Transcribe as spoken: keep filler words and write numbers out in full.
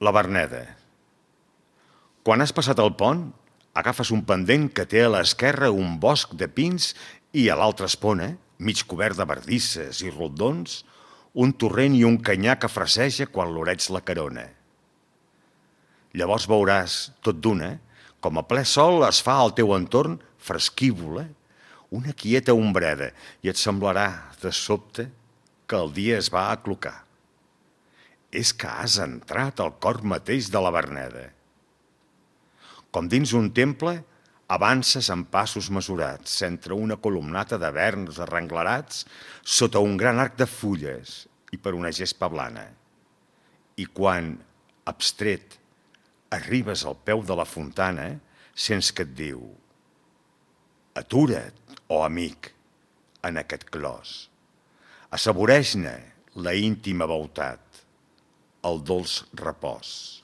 La Verneda. Quan has passat el pont, agafes un pendent que té a l'esquerra un bosc de pins i a l'altra espona, mig cobert de bardisses i rondons, un torrent i un canyar que fraseja quan l'oreig la carona. Llavors veuràs, tot d'una, com a ple sol es fa al teu entorn fresquívola, una quieta ombreda, i et semblarà, de sobte, que el dia es va aclocar. És que has entrat al cor mateix de la Verneda. Com dins un temple, avances amb passos mesurats, entre una columnata de verns arrenglerats, sota un gran arc de fulles i per una gespa blana. I quan, abstret, arribes al peu de la fontana, sents que et diu: atura't, oh amic, en aquest clos. Assaboreix-ne la íntima beutat, el dolç repòs.